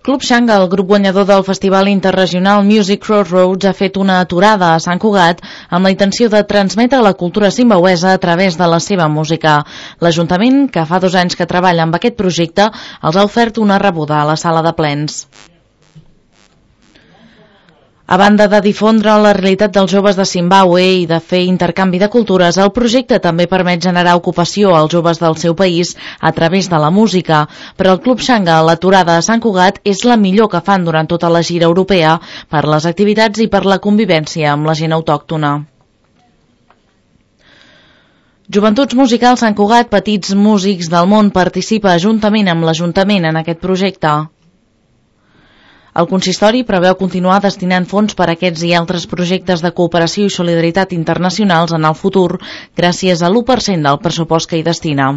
Club Xanga, el grup guanyador del Festival Interregional Music Crossroads, ha fet una aturada a Sant Cugat amb la intenció de transmetre la cultura zimbabwesa a través de la seva música. L'Ajuntament, que fa 2 anys que treballa amb aquest projecte, els ha ofert una rebuda a la sala de plens. A banda de difondre la realitat dels joves de Zimbàbue i de fer intercanvi de cultures, el projecte també permet generar ocupació als joves del seu país a través de la música. Per al Club Xanga, l'aturada a Sant Cugat és la millor que fan durant tota la gira europea per les activitats i per la convivència amb la gent autòctona. Joventuts Musicals Sant Cugat, petits músics del món, participa juntament amb l'Ajuntament en aquest projecte. El consistori preveu continuar destinant fons per a aquests i altres projectes de cooperació i solidaritat internacionals en el futur, gràcies a l'1% del pressupost que hi destina.